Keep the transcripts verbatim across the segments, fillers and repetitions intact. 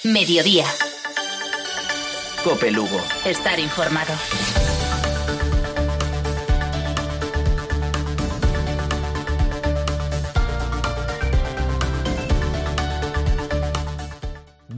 Mediodía. Cope Lugo. Estar informado.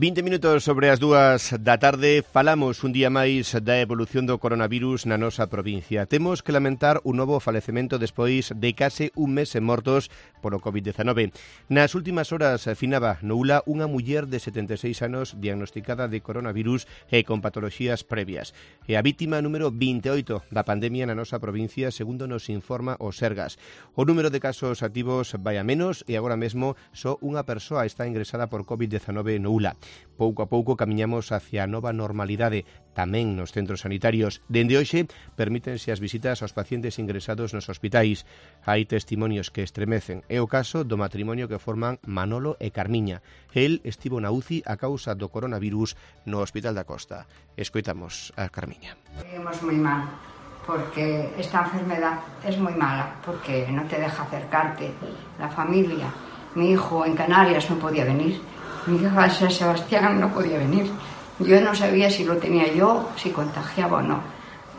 vinte minutos sobre as dúas da tarde, falamos un día máis da evolución do coronavirus na nosa provincia. Temos que lamentar un novo falecemento despois de case un mes en mortos polo covid dezanove. Nas últimas horas finaba no Ula unha muller de setenta e seis anos diagnosticada de coronavirus e con patoloxías previas. E a vítima número vinte e oito da pandemia na nosa provincia, segundo nos informa o Sergas. O número de casos activos vai a menos e agora mesmo só unha persoa está ingresada por covid dezanove no Ula. Pouco a pouco camiñamos hacia a nova normalidade, tamén nos centros sanitarios. Dende hoxe, permítense as visitas aos pacientes ingresados nos hospitais. Hai testimonios que estremecen. É o caso do matrimonio que forman Manolo e Carmiña. El estivo na U C I a causa do coronavirus no Hospital da Costa. Escoitamos a Carmiña. Vivimos moi mal, porque esta enfermedad es muy mala, porque no te deja acercarte. La familia, mi hijo en Canarias no podía venir. Mi hija San Sebastián no podía venir. Yo no sabía si lo tenía yo, si contagiaba o no.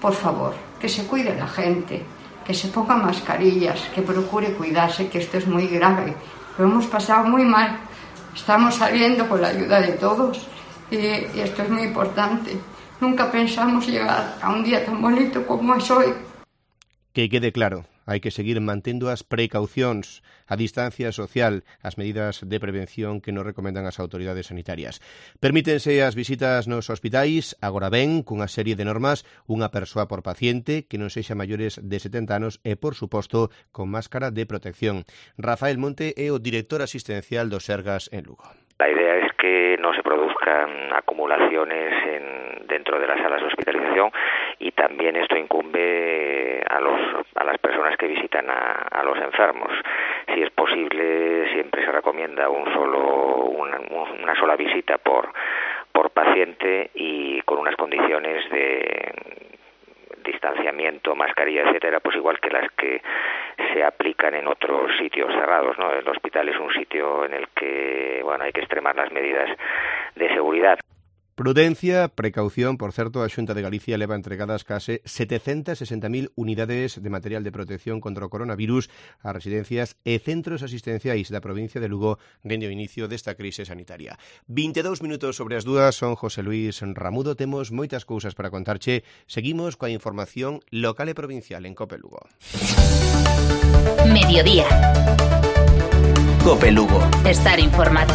Por favor, que se cuide la gente, que se ponga mascarillas, que procure cuidarse, que esto es muy grave. Lo hemos pasado muy mal. Estamos saliendo con la ayuda de todos y, y esto es muy importante. Nunca pensamos llegar a un día tan bonito como es hoy. Que quede claro, hai que seguir mantendo as precaucións, a distancia social, as medidas de prevención que nos recomendan as autoridades sanitarias. Permítense as visitas nos hospitais, agora ben, cunha serie de normas, unha persoa por paciente que non sexa maiores de setenta anos e, por suposto, con máscara de protección. Rafael Monte é o director asistencial do Sergas en Lugo. La idea es que no se produzcan acumulaciones en, dentro de las salas de hospitalización y también esto incumbe a, los, a las personas que visitan a, a los enfermos. Si es posible, siempre se recomienda un solo, una, una sola visita por, por paciente y con unas condiciones de distanciamiento, mascarilla, etcétera, pues igual que las que se aplican en otros sitios cerrados, ¿no? El hospital es un sitio en el que, bueno, hay que extremar las medidas de seguridad. Prudencia, precaución. Por certo, a Xunta de Galicia leva entregadas case setecentas e sesenta mil unidades de material de protección contra o coronavirus a residencias e centros asistenciais da provincia de Lugo dende o inicio desta crise sanitaria. vinte e dous minutos sobre as dúas, son José Luis Ramudo. Temos moitas cousas para contarche. Seguimos coa información local e provincial en Cope Lugo. Mediodía. Cope Lugo. Estar informado.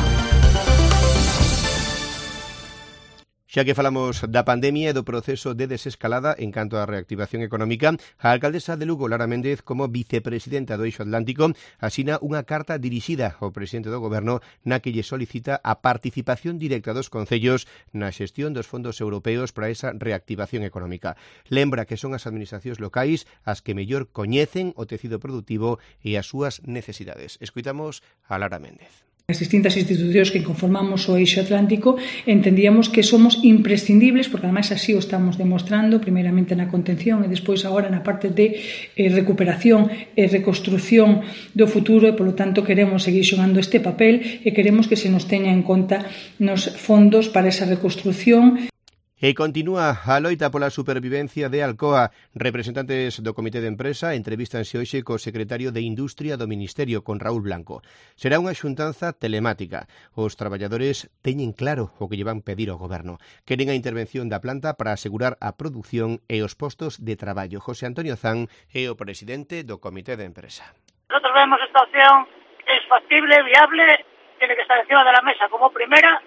Xa que falamos da pandemia e do proceso de desescalada en canto á reactivación económica, a alcaldesa de Lugo, Lara Méndez, como vicepresidenta do Eixo Atlántico, asina unha carta dirixida ao presidente do Goberno na que lle solicita a participación directa dos concellos na xestión dos fondos europeos para esa reactivación económica. Lembra que son as administracións locais as que mellor coñecen o tecido productivo e as súas necesidades. Escoitamos a Lara Méndez. As distintas institucións que conformamos o Eixo Atlántico entendíamos que somos imprescindibles, porque además así o estamos demostrando, primeiramente na contención e despois agora na parte de eh, recuperación e reconstrucción do futuro, e polo tanto queremos seguir xogando este papel e queremos que se nos teña en conta nos fondos para esa reconstrucción. E continúa a loita pola supervivencia de Alcoa. Representantes do Comité de Empresa entrevístanse hoxe co secretario de Industria do Ministerio, con Raúl Blanco. Será unha xuntanza telemática. Os traballadores teñen claro o que lle van pedir ao Goberno. Queren a intervención da planta para asegurar a produción e os postos de traballo. José Antonio Zan é o presidente do Comité de Empresa. Nosotros vemos esta opción es factible, viable, tiene que estar encima de la mesa como primera,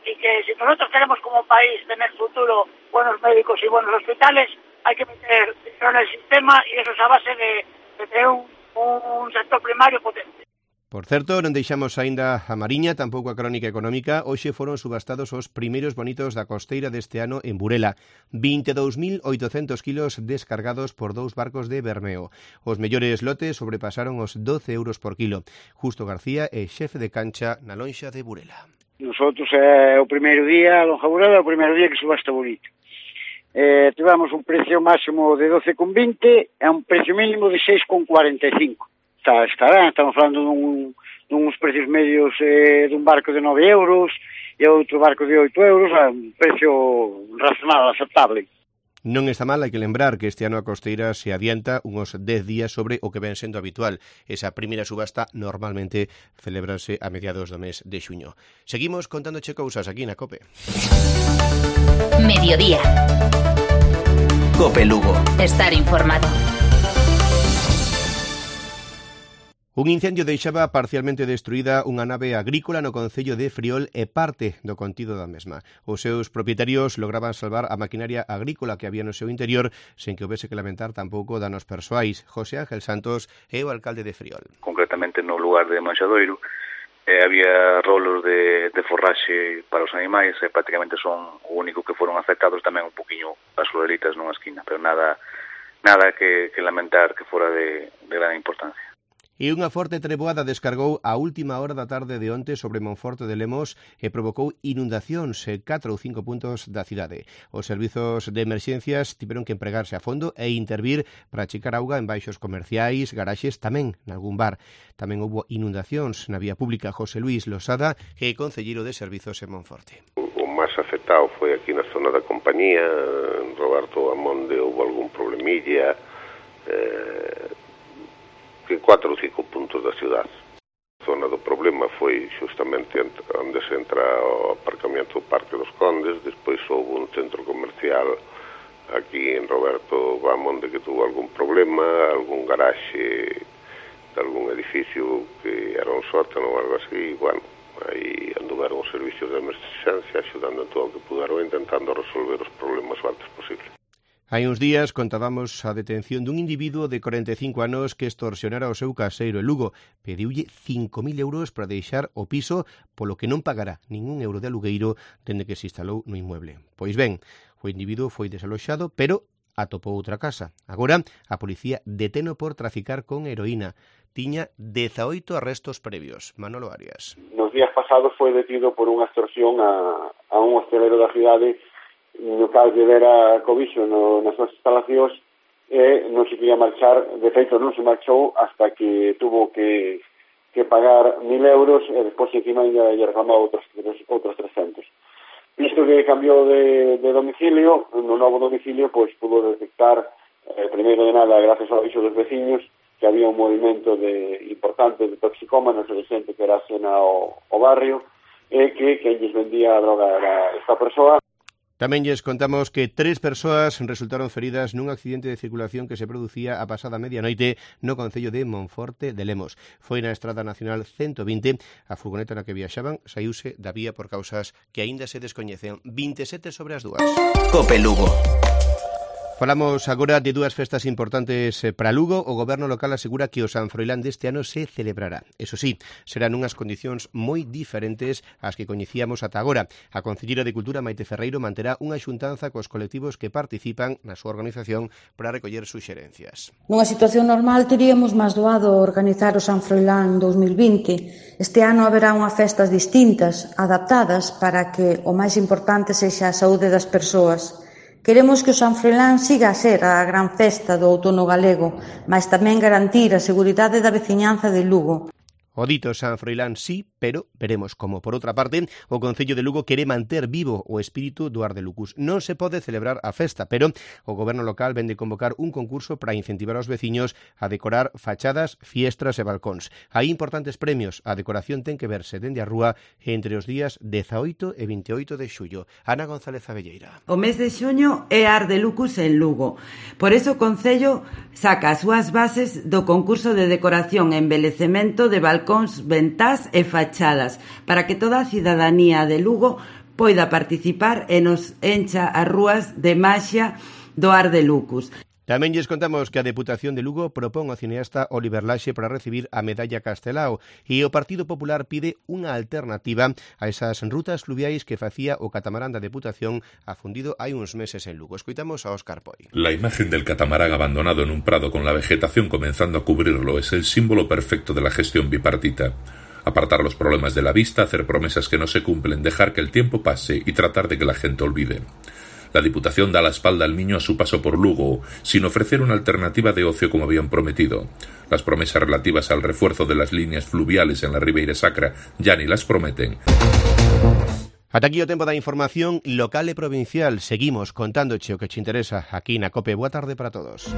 y que si nosotros queremos como país tener futuro, buenos médicos y buenos hospitales, hay que meter dinero en el sistema, y eso es a base de, de tener un, un sector primario potente. Por certo, non deixamos aínda a Mariña, tampouco a crónica económica. Hoxe foron subastados os primeiros bonitos da costeira deste ano en Burela. vinte e dous mil oitocentos kilos descargados por dous barcos de Bermeo. Os mellores lotes sobrepasaron os doce euros por kilo. Justo García é xefe de cancha na lonxa de Burela. Nosotros é o primeiro día, a lonja Burela é o primeiro día que subasta bonito. Eh, tivemos un precio máximo de doce con vinte e un precio mínimo de seis con cuarenta e cinco. Está, está ben, estamos falando dun, duns precios medios eh, dun barco de nove euros e outro barco de oito euros a un precio razonable, aceptable. Non está mal, hai que lembrar que este ano a costeira se adianta uns dez días sobre o que ven sendo habitual. Esa primeira subasta normalmente celebrase a mediados do mes de xuño. Seguimos contándoche cousas aquí na COPE. Mediodía. COPE Lugo. Estar informado. Un incendio deixaba parcialmente destruída unha nave agrícola no concello de Friol e parte do contido da mesma. Os seus propietarios lograban salvar a maquinaria agrícola que había no seu interior sen que houvese que lamentar tampouco danos persoais. José Ángel Santos é o alcalde de Friol. Concretamente no lugar de Manxadoiro eh, había rolos de, de forraxe para os animais e prácticamente son o único que foron afectados, tamén un poquinho as florelitas nunha esquina, pero nada nada que, que lamentar que fora de, de gran importancia. E unha forte treboada descargou a última hora da tarde de onte sobre Monforte de Lemos e provocou inundacións en catro ou cinco puntos da cidade. Os servizos de emerxencias tiveron que empregarse a fondo e intervir para achicar auga en baixos comerciais, garaxes, tamén nalgún bar. Tamén houbo inundacións na vía pública. José Luis Losada, que é concelleiro de servizos en Monforte. O máis afectado foi aquí na zona da compañía, en Roberto Amonde houve algún problemilla, eh, que cuatro ou cinco puntos da cidade. A zona do problema foi justamente onde se entra o aparcamento do Parque dos Condes, despois houve un centro comercial aquí en Roberto Bamonde que tuvo algún problema, algún garaxe de algún edificio que era un sótano ou algo así, e, bueno, aí anduveron os servicios de emerxencia axudando en todo o que puderon, intentando resolver os problemas o antes posible. Hai uns días contábamos a detención dun individuo de corenta e cinco anos que extorsionara o seu caseiro en Lugo. Pediulle cinco mil euros para deixar o piso, polo que non pagará ningún euro de alugueiro dende que se instalou no inmueble. Pois ben, o individuo foi desaloxado, pero atopou outra casa. Agora, a policía deteno por traficar con heroína. Tiña dezaoito arrestos previos. Manolo Arias. Nos días pasados foi detido por unha extorsión a, a un hostelero da cidade no cal lle dera cobixo no, nas súas instalacións e non se quería marchar, de feito non se marchou hasta que tuvo que, que pagar mil euros e despois encima lle reclamou outros, outros trescentos. Visto que cambiou de, de domicilio, no novo domicilio pois pudo detectar, eh, primeiro de nada, gracias ao aviso dos veciños, que había un movimento de, importante de toxicómanos e de xente que era xena ao, ao barrio e que quen lles vendía a droga era esta persoa. Tamén lles contamos que tres persoas resultaron feridas nun accidente de circulación que se producía a pasada medianoite no concello de Monforte de Lemos. Foi na Estrada Nacional ciento vinte, a furgoneta na que viaxaban saíuse da vía por causas que aínda se descoñecen. vinte e sete sobre as dúas. COPE Lugo. Falamos agora de dúas festas importantes para Lugo. O goberno local asegura que o San Froilán deste ano se celebrará. Eso sí, serán unhas condicións moi diferentes ás que coñecíamos ata agora. A Concelleira de Cultura, Maite Ferreiro, manterá unha xuntanza cos colectivos que participan na súa organización para recoller suxerencias. Nunha situación normal teríamos máis doado organizar o San Froilán dous mil vinte. Este ano haberá unhas festas distintas, adaptadas para que o máis importante sexa a saúde das persoas. Queremos que o San Froilán siga a ser a gran festa do outono galego, mas tamén garantir a seguridade da veciñanza de Lugo. O dito San Froilán sí, pero veremos como. Por outra parte, o Concello de Lugo quere manter vivo o espírito do Ardelucus. Non se pode celebrar a festa, pero o goberno local vende convocar un concurso para incentivar aos veciños a decorar fachadas, fiestras e balcóns. Hai importantes premios. A decoración ten que verse dende a rúa entre os días dezaoito e vinteoito de xullo. Ana González Abelleira. O mes de xuño é Ardelucus en Lugo. Por eso o Concello saca as súas bases do concurso de decoración e embelecemento de balcóns balcóns, ventás e fachadas, para que toda a cidadanía de Lugo poida participar e nos encha as rúas de maxia do Ardelucus. Tamén lles contamos que a Deputación de Lugo propón ao cineasta Oliver Laxe para recibir a Medalla Castelao e o Partido Popular pide unha alternativa a esas rutas fluviais que facía o catamarán da Deputación afundido hai uns meses en Lugo. Escoitamos a Óscar Poi. La imagen del catamarán abandonado en un prado con la vegetación comenzando a cubrirlo es el símbolo perfecto de la gestión bipartita. Apartar los problemas de la vista, hacer promesas que no se cumplen, dejar que el tiempo pase y tratar de que la gente olvide. La Diputación da la espalda al Miño a su paso por Lugo, sin ofrecer una alternativa de ocio como habían prometido. Las promesas relativas al refuerzo de las líneas fluviales en la Ribeira Sacra ya ni las prometen. Ata aquí o tempo da información local e provincial. Seguimos contándoche o que te interesa aquí na COPE. Boa tarde para todos.